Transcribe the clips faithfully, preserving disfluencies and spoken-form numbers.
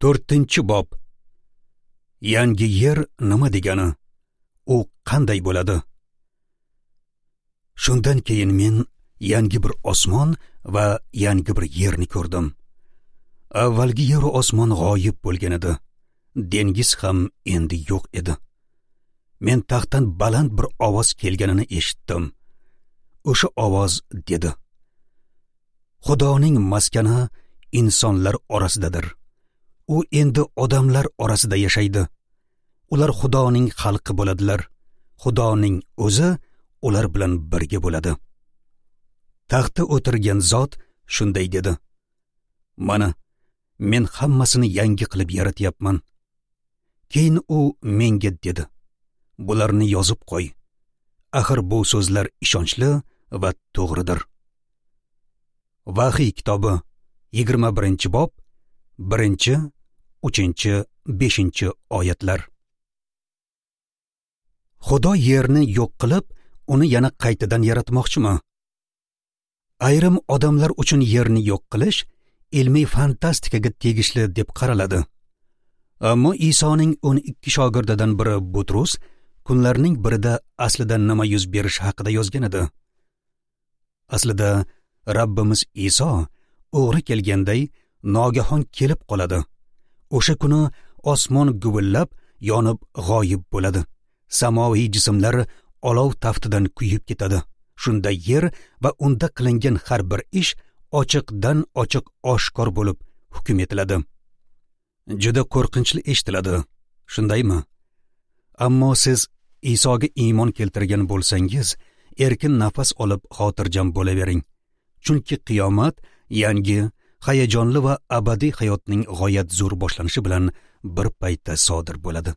To'rtinchi bob. Yangi yer nima degani? U qanday bo'ladi? Shundan keyin men yangi bir osmon va yangi bir yerni ko'rdim. Avvalgi yer va osmon g'oyib bo'lgan edi. Dengiz ham endi yo'q edi. Men taxtdan baland bir ovoz kelganini eshitdim. O'sha ovoz dedi: Xudoning maskani insonlar orasidadir. U endi odamlar orasida yashaydi. Ular Xudoning xalqi bo'ladilar. Xudoning o'zi ular bilan birga bo'ladi. Taxtda o'tirgan zot shunday dedi: Mana, men hammasini yangi qilib yaratyapman. Keyin u menga dedi: Bularni yozib qo'y. Axir bu so'zlar ishonchli va to'g'ridir. Vahiy kitobi yigirma birinchi bob, birinchi, uchinchi, beshinchi oyatlar. Xudo yerni yo'q qilib, uni yana qaytadan yaratmoqchimi? Ayrim odamlar uchun yerni yo'q qilish ilmiy fantastikaga tegishli deb qaraladi. Ammo Isoning o'n ikki shogirdidan biri Butrus kunlarning birida aslida nima yuz berishi haqida yozgan edi. Aslida Rabbimiz Iso o'g'ri kelganday nogahon kelib qoladi. O'sha kuni osmon guvillab yonib g'oyib bo'ladi. Samoviy jismlar olov taftidan kuyib ketadi. Shunda yer va unda qilingan har bir ish ochiqdan ochiq oshkor bo'lib hukm etiladi. Juda qo'rqinchli eshitiladi, shundaymi? Ammo siz Isoga iymon keltirgan bo'lsangiz, erkin nafas olib xotirjam bo'lavering. Chunki qiyomat yangi, hayajonli va abadiy hayotning g'oyat zo'r boshlanishi bilan bir paytda sodir bo'ladi.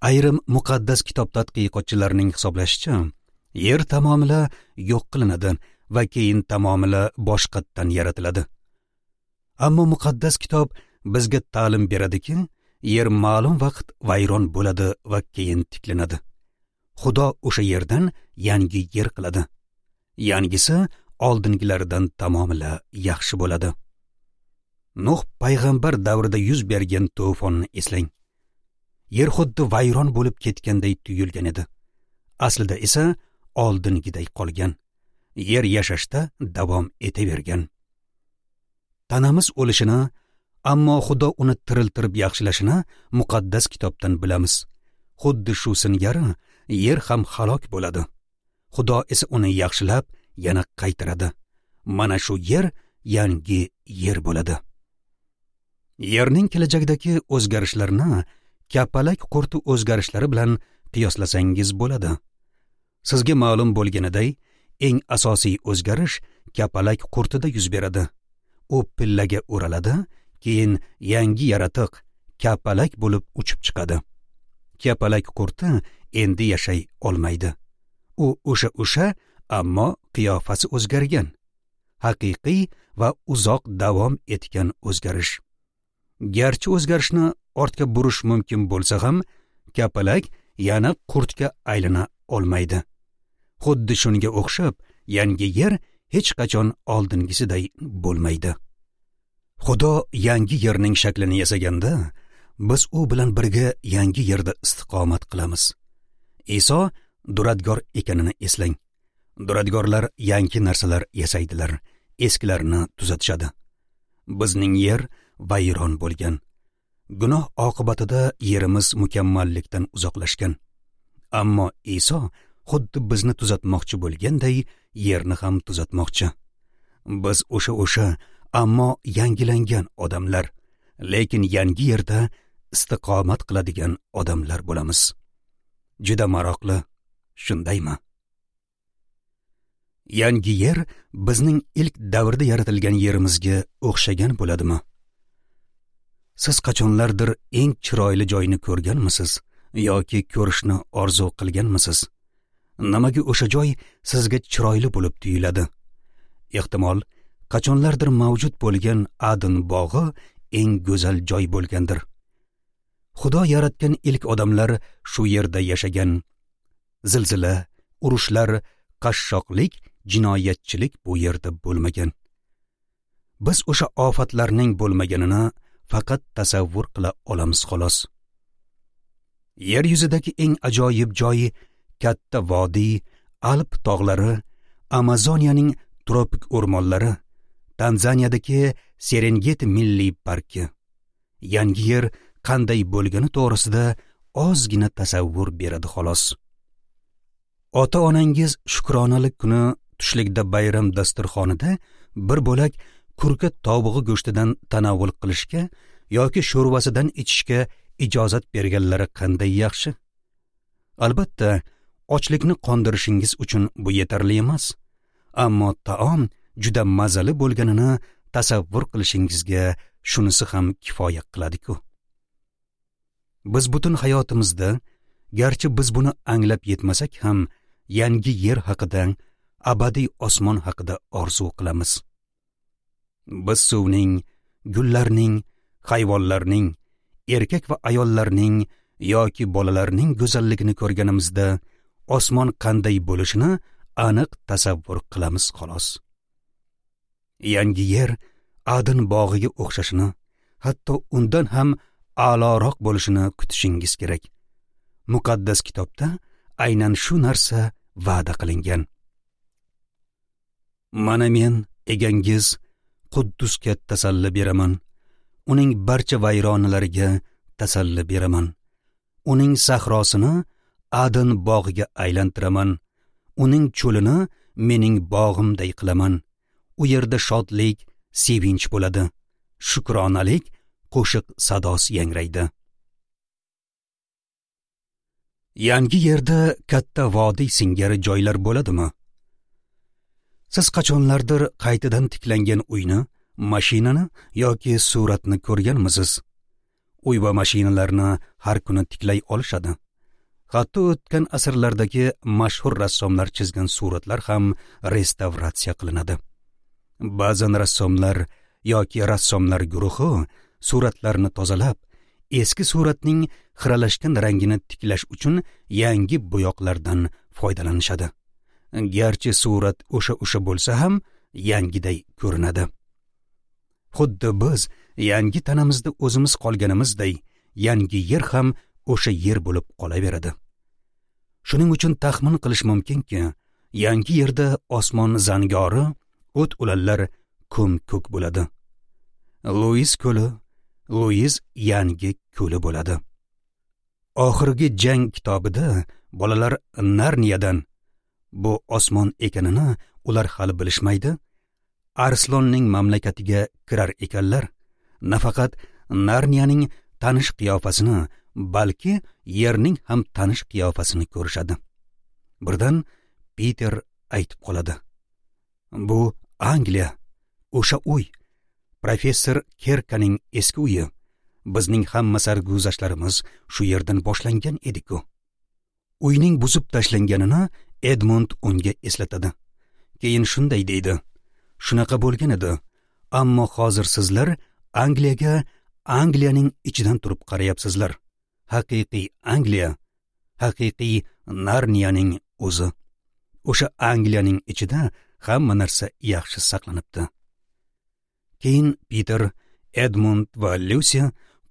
Ayrim muqaddas kitob tadqiqotchilarining hisoblashicha, yer tamomila yo'q qilinadi va keyin tamomila boshqatdan yaratiladi. Ammo muqaddas kitob bizga ta'lim beradiki, yer ma'lum vaqt vayron bo'ladi va keyin tiklanadi. Xudo o'sha yerdan yangi yer qiladi. Yangisi oldingilaridan tamomila yaxshi bo'ladi. Nuh payg'ambar davrida yuz bergan to'fonni eslang. Yer xuddi vayron bo'lib ketganday tuyulgan edi. Aslida esa oldingiday qolgan. Yer yashashda davom etavergan. Tanamiz o'lishini, ammo Xudo uni tiriltirib yaxshilashini muqaddas kitobdan bilamiz. Xuddi shu singari yer ham halok bo'ladi. Xudo esa uni yaxshilab yana qaytaradi. Mana shu yer yangi yer bo'ladi. Yerning kelajakdagi o'zgarishlarini kapalak qurti o'zgarishlari bilan qiyoslasangiz bo'ladi. Sizga ma'lum bo'lganiday, eng asosiy o'zgarish kapalak qurtida yuz beradi. U pillaga o'raladi, keyin yangi yaratiq kapalak bo'lib uchib chiqadi. Kapalak qurti endi yashay olmaydi. U o'sha o'sha, ammo qiyofasi o'zgargan. Haqiqiy va uzoq davom etgan o'zgarish. Garchi o'zgarishni ortga burish mumkin bo'lsa ham, kapalak yana qurtga aylana olmaydi. Xuddi shunga o'xshab, yangi yer hech qachon oldingisiday bo'lmaydi. Xudo yangi yerning shaklini yasaganda, biz u bilan birga yangi yerda istiqomat qilamiz. Iso duradgor ekanini eslang. Duradgorlar yangi narsalar yasaydilar, eskilarini tuzatishadi. Bizning yer vayron bo'lgan. Gunoh oqibatida yerimiz mukammallikdan uzoqlashgan. Ammo Iso xuddi bizni tuzatmoqchi bo'lganday yerni ham tuzatmoqchi. Biz o'sha o'sha, ammo yangilangan odamlar, lekin yangi yerda istiqomat qiladigan odamlar bo'lamiz. Juda maroqli, shundaymi? Yangi yer bizning ilk davrda yaratilgan yerimizga o'xshagan bo'ladimi? Siz qachonlardir eng chiroyli joyni ko'rganmisiz yoki ko'rishni orzu qilganmisiz? Nimaga o'sha joy sizga chiroyli bo'lib tuyuladi? Ehtimol, qachonlardir mavjud bo'lgan Adn bog'i eng go'zal joy bo'lgandir. Xudo yaratgan ilk odamlar shu yerda yashagan. Zilzila, urushlar, qashshoqlik, jinoyatchilik bu yerda bo'lmagan. Biz o'sha ofatlarning bo'lmaganini faqat tasavvur qila olamiz xolos. Yer yuzidagi eng ajoyib joyi katta vodiy, Alp tog'lari, Amazoniyaning tropik o'rmonlari, Tanzaniyadagi Serengeti milliy parki. Yangi yer qanday bo'lgani to'g'risida ozgina tasavvur beradi xolos. Ota-onangiz shukronalik kuni tushlikda bayram dasturxonida bir bo'lak kurka tovug'i go'shtidan tanovul qilishga yoki sho'rvasidan ichishga ijozat berganlari qanday yaxshi. Albatta, ochlikni qondirishingiz uchun bu yetarli emas, ammo taom juda mazali bo'lganini tasavvur qilishingizga shunisi ham kifoya qiladi-ku. Biz butun hayotimizda, garchi biz buni anglab yetmasak ham, yangi yer haqida, abadiy osmon haqida orzu qilamiz. Biz suvning, gullarning, hayvonlarning, erkak va ayollarning yoki bolalarning go'zalligini ko'rganimizda osmon qanday bo'lishini aniq tasavvur qilamiz xolos. Yangi yer Adn bog'iga o'xshashini, hatto undan ham a'loroq bo'lishini kutishingiz kerak. Muqaddas kitobda aynan shu narsa va'da qilingan. Mana men egangiz Quddusga tasalli beraman, uning barcha vayronalariga tasalli beraman. Uning sahrosini Adn bog'iga aylantiraman, uning cho'lini mening bog'imday qilaman. U yerda shodlik, sevinch bo'ladi, shukronalik qo'shiq sadosi yangraydi. Yangi yerda katta vodiy singari joylar bo'ladimi? Siz qachonlardir qaytadan tiklangan uyni, mashinani yoki suratni ko'rganmisiz? Uy va mashinalarni har kuni tiklay olishadi. Hatto o'tgan asrlardagi mashhur rassomlar chizgan suratlar ham restavratsiya qilinadi. Ba'zan rassomlar yoki rassomlar guruhi suratlarni tozalab, eski suratning xiralashgan rangini tiklash uchun yangi bo'yoqlardan foydalanishadi. Garchi surat o'sha-o'sha bo'lsa ham yangiday ko'rinadi. Xuddi biz yangi tanamizda o'zimiz qolganimizday, yangi yer ham o'sha yer bo'lib qolaveradi. Shuning uchun taxmin qilish mumkinki, yangi yerda osmon zangori, o't o'lanlar ko'm-ko'k bo'ladi. Luis ko'li, Luis yangi ko'li bo'ladi. Oxirgi jang kitobida bolalar Narniyadan, bu osmon ekanini ular hali bilishmaydi, Arslonning mamlakatiga kirar ekanlar. Nafaqat Narniyaning tanish qiyofasini, balki yerning ham tanish qiyofasini ko'rishadi. Birdan Peter aytib qoladi: Bu Angliya, o'sha uy, professor Kerkaning eski uyi. Bizning hamma sarguzashtlarimiz shu yerdan boshlangan edi-ku. Uyning buzib tashlanganini Edmund unga eslatadi. Keyin shunday deydi: Shunaqa bo'lgan edi, ammo hozir sizlar Angliyaga Angliyaning ichidan turib qarayapsizlar. Haqiqiy Angliya, haqiqiy Narniyaning o'zi. O'sha Angliyaning ichida hamma narsa yaxshi saqlanibdi. Keyin Peter, Edmund va Lucy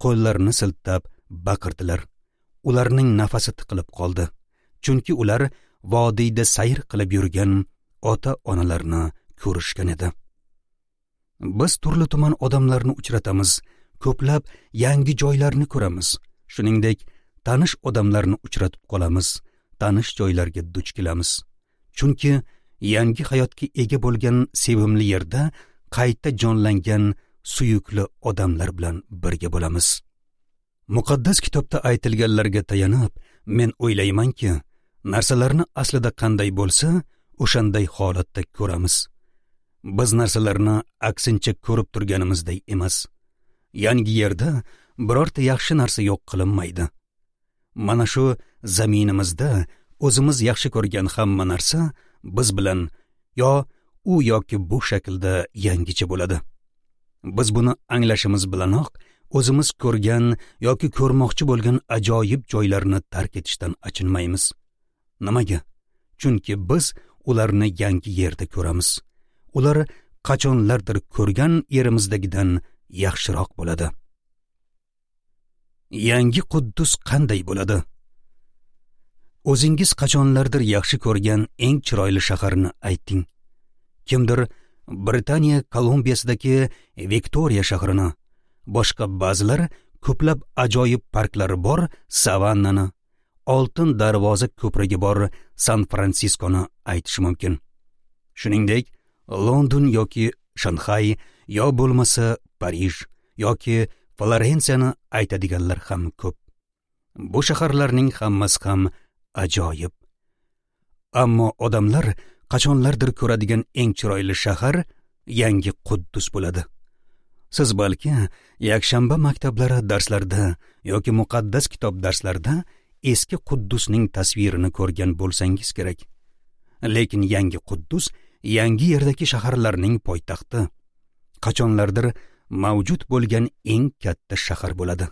qo'llarini siltab baqirdilar. Ularning nafasi tiqilib qoldi, chunki ular vodiyda sayr qilib yurgan ota-onalarni ko'rishgan edi. Biz turli tuman odamlarni uchratamiz, ko'plab yangi joylarni ko'ramiz. Shuningdek, tanish odamlarni uchratib qolamiz, tanish joylarga duch kelamiz. Chunki yangi hayotga ega bo'lgan sevimli yerda qayta jonlangan suyukli odamlar bilan birga bo'lamiz. Muqaddas kitobda aytilganlarga tayanib, men o'ylaymanki, narsalarni aslida qanday bo'lsa, o'shanday holatda ko'ramiz. Biz narsalarni aksincha ko'rib turganimizday emas. Yangi yerda birorta yaxshi narsa yo'q qilinmaydi. Mana shu zaminimizda o'zimiz yaxshi ko'rgan hamma narsa biz bilan yo u yoki bu shaklda yangicha bo'ladi. Biz buni anglashimiz bilanoq o'zimiz ko'rgan yoki ko'rmoqchi bo'lgan ajoyib joylarni tark etishdan achinmaymiz. Nimaga? Chunki biz ularni yangi yerda ko'ramiz. Ular qachonlardir ko'rgan yerimizdagidan yaxshiroq bo'ladi. Yangi Quddus qanday bo'ladi? O'zingiz qachonlardir yaxshi ko'rgan eng chiroyli shaharni ayting. Kimdir Britaniya Kolumbiyasidagi Viktoriya shahrini, boshqa ba'zilar ko'plab ajoyib parklari bor Savannani, Oltin darvoza ko'prigi bor San Fransiskoni aytish mumkin. Shuningdek, London yoki Shanxay, yo bo'lmasa Parij yoki Florensiyani aytadiganlar ham ko'p. Bu shaharlarning hammasi ham ajoyib. Ammo odamlar qachonlardir ko'radigan eng chiroyli shahar Yangi Quddus bo'ladi. Siz balki yakshanba maktablari darslarida yoki muqaddas kitob darslarida eski Quddusning tasvirini ko'rgan bo'lsangiz kerak. Lekin Yangi Quddus yangi yerdagi shaharlarning poytaxti, qachonlardir mavjud bo'lgan eng katta shahar bo'ladi.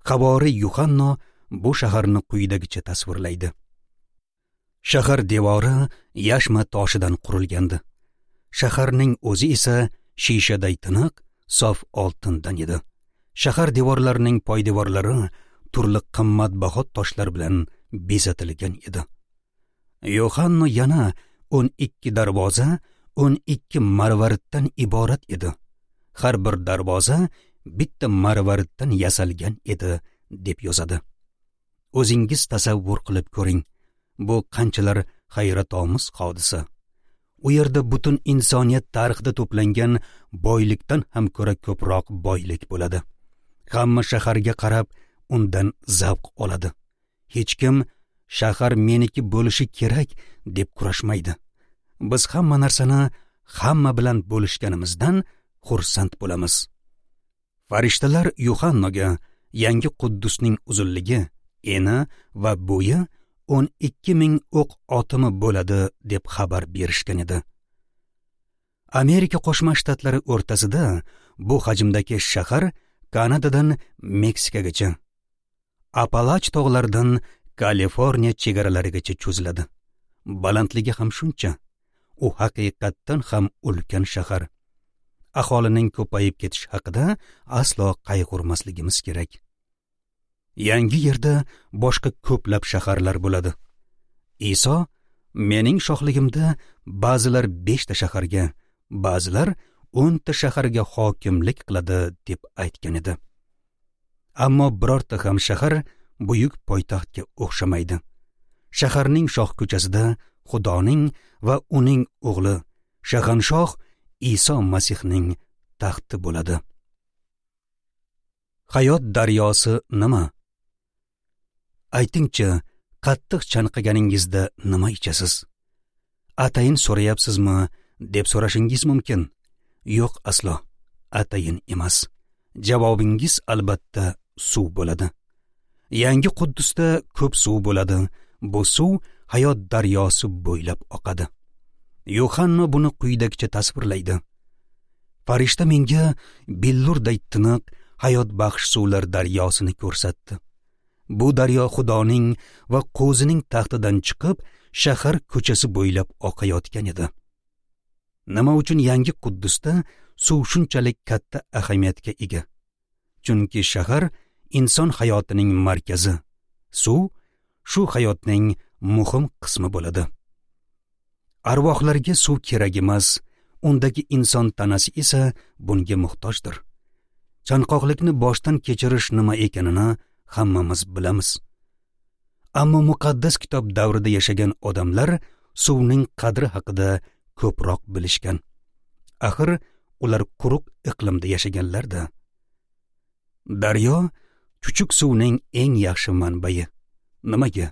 Havoriy Yuhanno bu shaharni quyidagicha tasvirlaydi. Shahar devori yashma toshidan qurilgandi. Shaharning o'zi esa shishaday tiniq, sof oltindan edi. Shahar devorlarining poydevorlari turli qimmatbaho toshlar bilan bezatilgan edi. Yohanno yana o'n ikki darvoza, o'n ikki marvariddan iborat edi. Har bir darvoza bitta marvariddan yasalgan edi, deb yozadi. O'zingiz tasavvur qilib ko'ring. Bu qanchalar hayratomuz hodisa. U yerda butun insoniyat tarixida to'plangan boylikdan ham ko'ra ko'proq boylik bo'ladi. Hamma shaharga qarab undan zavq oladi. Hech kim shahar meniki bo'lishi kerak deb kurashmaydi. Biz hamma narsani hamma bilan bo'lishganimizdan xursand bo'lamiz. Farishtalar Yuhannoga Yangi Quddusning uzunligi, eni va bo'yi o'n ikki ming o'q otimi bo'ladi deb xabar berishgan edi. Amerika Qo'shma Shtatlari o'rtasida bu hajmdagi shahar Kanadadan Meksikagacha, Apalach tog'laridan Kaliforniya chegaralarigacha cho'ziladi. Balandligi ham shuncha. U haqiqatdan ham ulkan shahar. Aholining ko'payib ketishi haqida aslo qayg'urmasligimiz kerak. Yangi yerda boshqa ko'plab shaharlar bo'ladi. Iso, mening shohligimda ba'zilar beshta shaharga, ba'zilar o'nta shaharga hokimlik qiladi deb aytgan edi. Ammo birorta ham shahar buyuk poytaxtga o'xshamaydi. Shaharning shoh ko'chasida Xudoning va uning o'g'li Shahanshoh Iso Masihning taxti bo'ladi. Hayot daryosi nima? Aytingchi, qattiq chanqaganingizda nima ichasiz? Atayin so'rayapsizmi deb so'rashingiz mumkin. Yo'q, aslo, atayin emas. Javobingiz albatta suv bo'ladi. Yangi Quddusda ko'p suv bo'ladi. Bu suv hayot daryosi bo'ylab oqadi. Yohanna buni quyidagicha tasvirlaydi. Farishta menga billurday tiniq hayot baxsh suvlar daryosini ko'rsatdi. Bu daryo Xudoning va Qo'zining taxtidan chiqib, shahar ko'chasi bo'ylab oqayotgan edi. Nima uchun Yangi Quddusda suv shunchalik katta ahamiyatga ega? Chunki shahar inson hayotining markazi. Suv shu hayotning muhim qismi bo'ladi. Arvohlarga suv kerak emas, undagi inson tanasi esa bunga muhtojdir. Chanqoqlikni boshdan kechirish nima ekanini hammamiz bilamiz. Ammo muqaddas kitob davrida yashagan odamlar suvning qadri haqida ko'proq bilishgan. Axir ular quruq iqlimda yashaganlar-da. Daryo chuchuk suvning eng yaxshi manbai. Nimaga?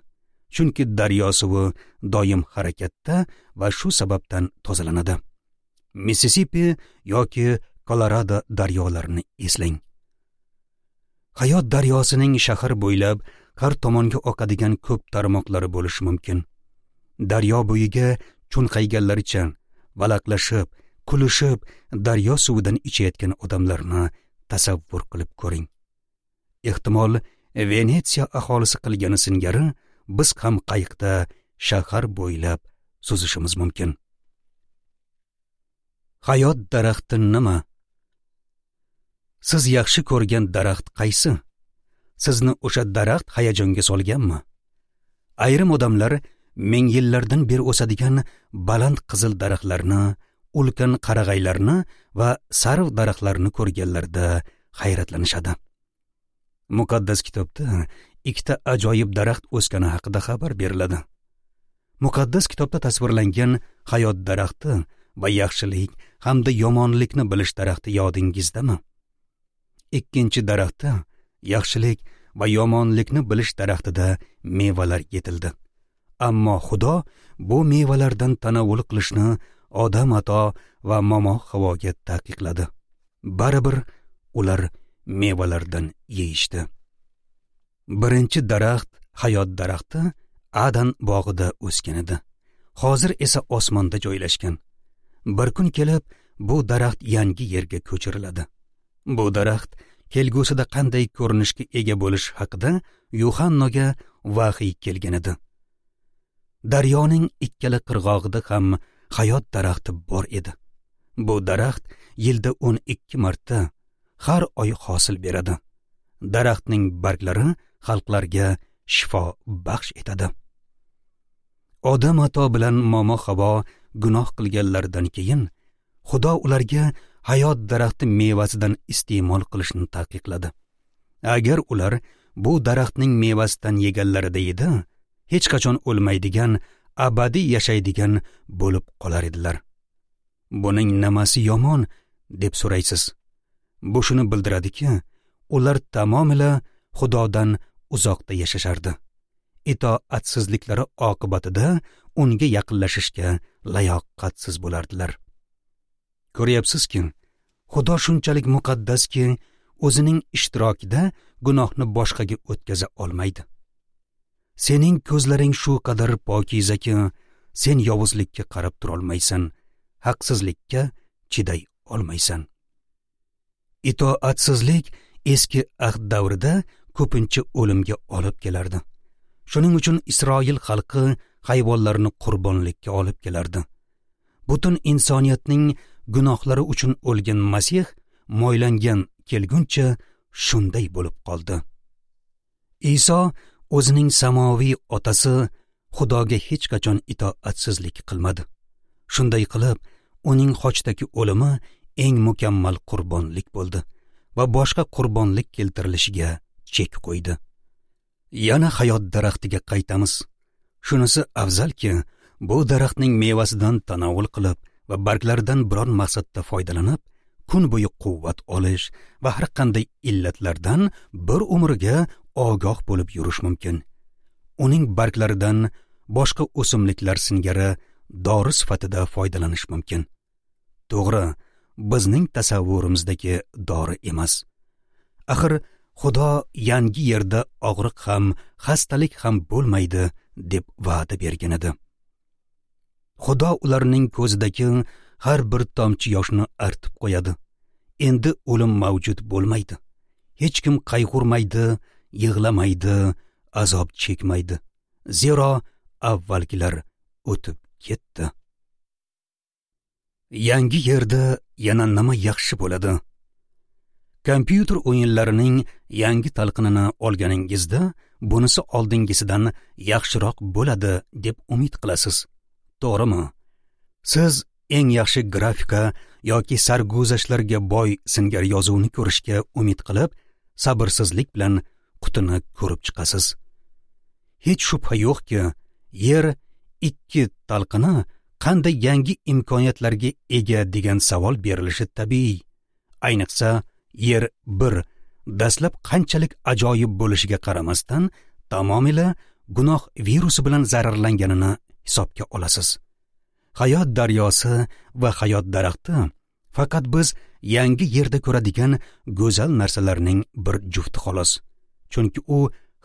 Chunki daryo suvi doim harakatda va shu sababdan tozalanadi. Mississippi yoki Kolorado daryolarini eslang. Hayot daryosining shahar bo'ylab har tomonga oqadigan ko'p tarmoqlari bo'lishi mumkin. Daryo bo'yiga cho'nqayganlaricha valaqlashib, kulishib, daryo suvidan ichayotgan odamlarni tasavvur qilib ko'ring. Ehtimol Venetsiya aholisi qilgani singari biz ham qayiqda shahar bo'ylab suzishimiz mumkin. Hayot daraxti nima? Siz yaxshi ko'rgan daraxt qaysi? Sizni o'sha daraxt hayajonga solganmi? Ayrim odamlar ming yillardan beri o'sadigan baland qizil daraxtlarni, ulkan qarag'aylarni va sarv daraxtlarini ko'rganlarida hayratlanishadi. Muqaddas kitobda ikkita ajoyib daraxt o'sgani haqida xabar beriladi. Muqaddas kitobda tasvirlangan hayot daraxti va yaxshilik hamda yomonlikni bilish daraxti yodingizdami? Ikkinchi daraxtda yaxshilik va yomonlikni bilish daraxtida mevalar yetildi. Ammo Xudo bu mevalardan tanovul qilishni Odam ato va momo Havoga taqiqladi. Baribir ular mevalardan yeyishdi. Birinchi daraxt, hayot daraxti Adan bog'ida o'sgan edi. Hozir esa osmonda joylashgan. Bir kun kelib bu daraxt yangi yerga ko'chiriladi. Bu daraxt kelgusida qanday ko'rinishga ega bo'lishi haqida Yuhannoga vahiy kelgan edi. Daryoning ikkala qirg'og'ida ham hayot daraxti bor edi. Bu daraxt yilda o'n ikki marta har oy hosil beradi. Daraxtning barglari xalqlarga shifo baxsh etadi. Odam ato bilan momo Havo gunoh qilganlaridan keyin Xudo ularga hayot daraxti mevasidan iste'mol qilishni taqiqladi. Agar ular bu daraxtning mevasidan yeganlarida edi, hech qachon o'lmaydigan, abadiy yashaydigan bo'lib qolar edilar. Buning nimasi yomon deb so'raysiz. Bu shuni bildiradiki, ular tamomila Xudodan uzoqda yashashardi. Itoatsizliklari oqibatida unga yaqinlashishga layoqatsiz bo'lardilar. Ko'ryapsizki, Xudo shunchalik muqaddaski, o'zining ishtirokida gunohni boshqaga o'tkaza olmaydi. Sening ko'zlaring shu qadar pokizaki, sen yovuzlikka qarab turolmaysan, haqsizlikka chiday olmaysan. Itoatsizlik eski ahd davrida ko'pincha o'limga olib kelardi. Shuning uchun Isroil xalqi hayvonlarni qurbonlikka olib kelardi. Butun insoniyatning gunohlari uchun o'lgan Masih moylangan kelguncha shunday bo'lib qoldi. Iso o'zining samoviy otasi Xudoga hech qachon itoatsizlik qilmadi. Shunday qilib, uning xochdagi o'limi eng mukammal qurbonlik bo'ldi va boshqa qurbonlik keltirilishiga chek qo'ydi. Yana hayot daraxtiga qaytamiz. Shunisi afzalki, bu daraxtning mevasidan tanovul qilib va barglaridan biror maqsadda foydalanib, kun bo'yi quvvat olish va har qanday illatlardan bir umrga ogoh bo'lib yurish mumkin. Uning barglaridan boshqa o'simliklar singari dori sifatida foydalanish mumkin. To'g'ri, bizning tasavvurimizdagi dori emas. Axir Xudo yangi yerda og'riq ham, xastalik ham bo'lmaydi deb va'da bergan edi. Xudo ularning ko'zidagi har bir tomchi yoshni artib qo'yadi. Endi o'lim mavjud bo'lmaydi. Hech kim qayg'urmaydi, yig'lamaydi, azob chekmaydi. Zero avvalgilar o'tib ketdi. Yangi yerda yana nima yaxshi bo'ladi? Kompyuter o'yinlarining yangi talqinini olganingizda, bunisi oldingisidan yaxshiroq bo'ladi deb umid qilasiz. To'g'rimi? Siz eng yaxshi grafika yoki sarguzashtlarga boy singari yozuvni ko'rishga umid qilib, sabrsizlik bilan qutini ko'rib chiqasiz. Hech shubha yo'qki, yer ikki talqini qanday yangi imkoniyatlarga ega degan savol berilishi tabiiy. Ayniqsa, yer bir dastlab qanchalik ajoyib bo'lishiga qaramasdan, tamomila gunoh virusi bilan zararlanganini hisobga olasiz. Hayot daryosi va hayot daraxti faqat biz yangi yerda ko'radigan go'zal narsalarning bir jufti xolos. Chunki u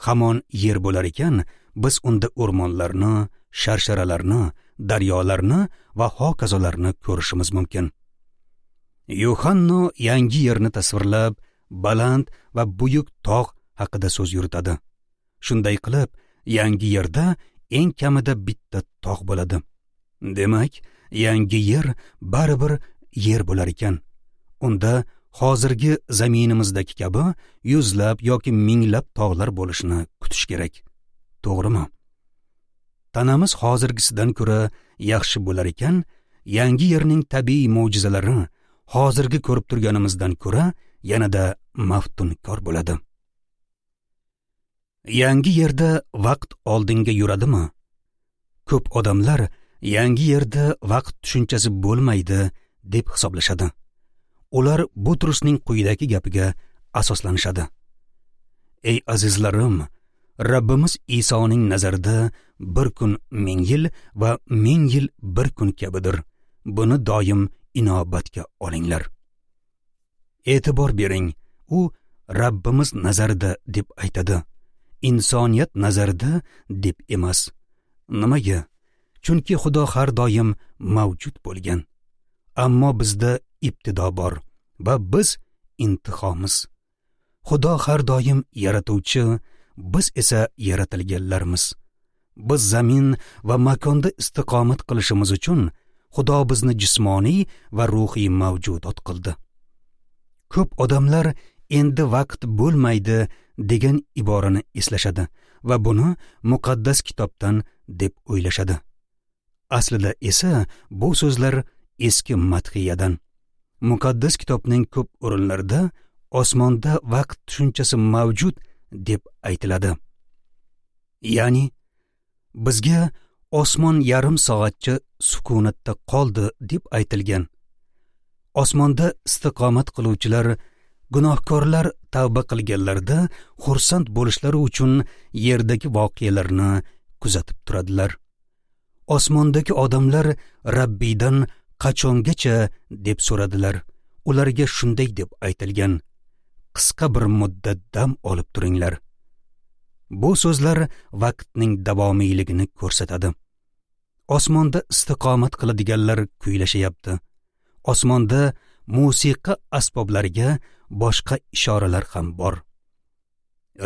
hamon yer bo'lar ekan, biz unda o'rmonlarni, sharsharalarni, daryolarni va hokazolarni ko'rishimiz mumkin. Yuhanno yangi yerni tasvirlab, baland va buyuk tog' haqida so'z yuritadi. Shunday qilib, yangi yerda eng kamida bitta tog' bo'ladi. Demak, yangi yer baribir yer bo'lar ekan. Unda hozirgi zaminimizdagi kabi yuzlab yoki minglab tog'lar bo'lishini kutish kerak. To'g'rimi? Tanamiz hozirgisidan ko'ra yaxshi bo'lar ekan, yangi yerning tabiiy mo'jizalari hozirgi ko'rib turganimizdan ko'ra yanada maftunkor bo'ladi. Yangi yerda vaqt oldinga yuradimi? Ko'p odamlar yangi yerda vaqt tushunchasi bo'lmaydi deb hisoblashadi. Ular Butrusning quyidagi gapiga asoslanishadi. Ey azizlarim, Rabbimiz Isoning nazarida bir kun ming yil va ming yil bir kun kabidir. Buni doim inobatga olinglar. E'tibor bering, u Rabbimiz nazarida deb aytadi. Insoniyat nazarida deb emas. Nimaga? Chunki Xudo har doim mavjud bo'lgan. Ammo bizda ibtido bor va biz intihomiz. Xudo har doim yaratuvchi, biz esa yaratilganlarmiz. Biz zamin va makonda istiqomat qilishimiz uchun Xudo bizni jismoniy va ruhiy mavjudot qildi. Ko'p odamlar endi vaqt bo'lmaydi degan iborani eslashadi va buni muqaddas kitobdan deb o'ylashadi. Aslida esa bu so'zlar eski madhiyadan. Muqaddas kitobning ko'p o'rinlarida osmonda vaqt tushunchasi mavjud deb aytiladi. Ya'ni bizga osmon yarim soatcha sukunatda qoldi deb aytilgan. Osmonda istiqomat qiluvchilar gunohkorlar tavba qilganlarida xursand bo'lishlari uchun yerdagi voqealarni kuzatib turadilar. Osmondagi odamlar Rabbiydan qachongacha deb so'radilar. Ularga shunday deb aytilgan: qisqa bir muddat dam olib turinglar. Bu so'zlar vaqtning davomiyligini ko'rsatadi. Osmonda istiqomat qiladiganlar kuylashyapti. Osmonda musiqa asboblariga boshqa ishoralar ham bor.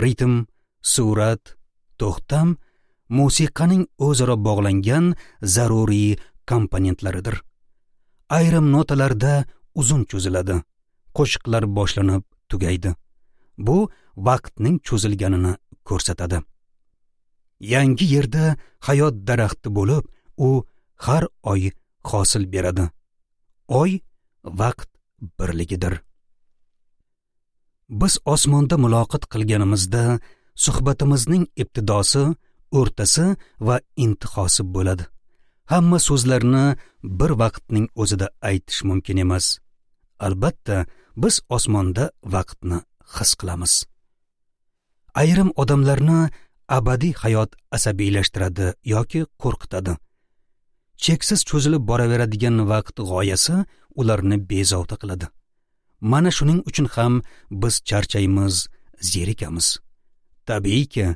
Ritm, surat, to'xtam musiqaning o'zaro bog'langan zaruriy komponentlaridir. Ayrim notalarda uzun cho'ziladi. Qo'shiqlar boshlanib tugaydi. Bu vaqtning cho'zilganini ko'rsatadi. Yangi yerda hayot daraxti bo'lib, u har oy hosil beradi. Oy vaqt birligidir. Biz osmonda muloqot qilganimizda suhbatimizning ibtidosi, o'rtasi va intihosi bo'ladi. Hamma so'zlarni bir vaqtning o'zida aytish mumkin emas. Albatta, biz osmonda vaqtni his qilamiz. Ayrim odamlarni abadiy hayot asabiylashtiradi yoki qo'rqitadi. Cheksiz cho'zilib boraveradigan vaqt g'oyasi ularni bezovta qiladi. Mana shuning uchun ham biz charchaymiz, zerikamiz. Tabiiyki,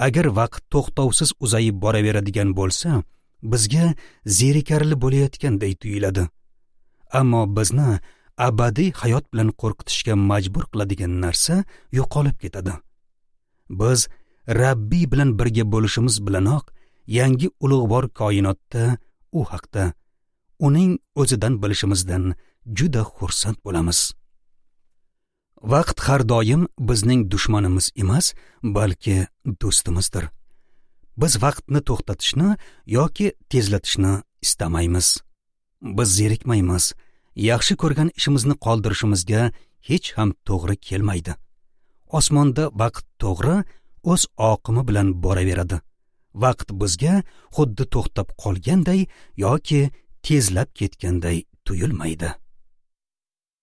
agar vaqt to'xtovsiz uzayib boraveradigan bo'lsa, bizga zerikarli bo'layotganday tuyuladi. Ammo bizni abadiy hayot bilan qo'rqitishga majbur qiladigan narsa yo'qolib ketadi. Biz Rabbiy bilan birga bo'lishimiz bilanoq yangi ulug'vor koinotda u haqda, uning o'zidan bilishimizdan juda xursand bo'lamiz. Vaqt har doim bizning dushmanimiz emas, balki do'stimizdir. Biz vaqtni to'xtatishni yoki tezlatishni istamaymiz. Biz zerikmaymiz. Yaxshi ko'rgan ishimizni qoldirishimizga hech ham to'g'ri kelmaydi. Osmonda vaqt to'g'ri o'z oqimi bilan boraveradi. Vaqt bizga xuddi to'xtab qolganday yoki tezlab ketganday tuyulmaydi.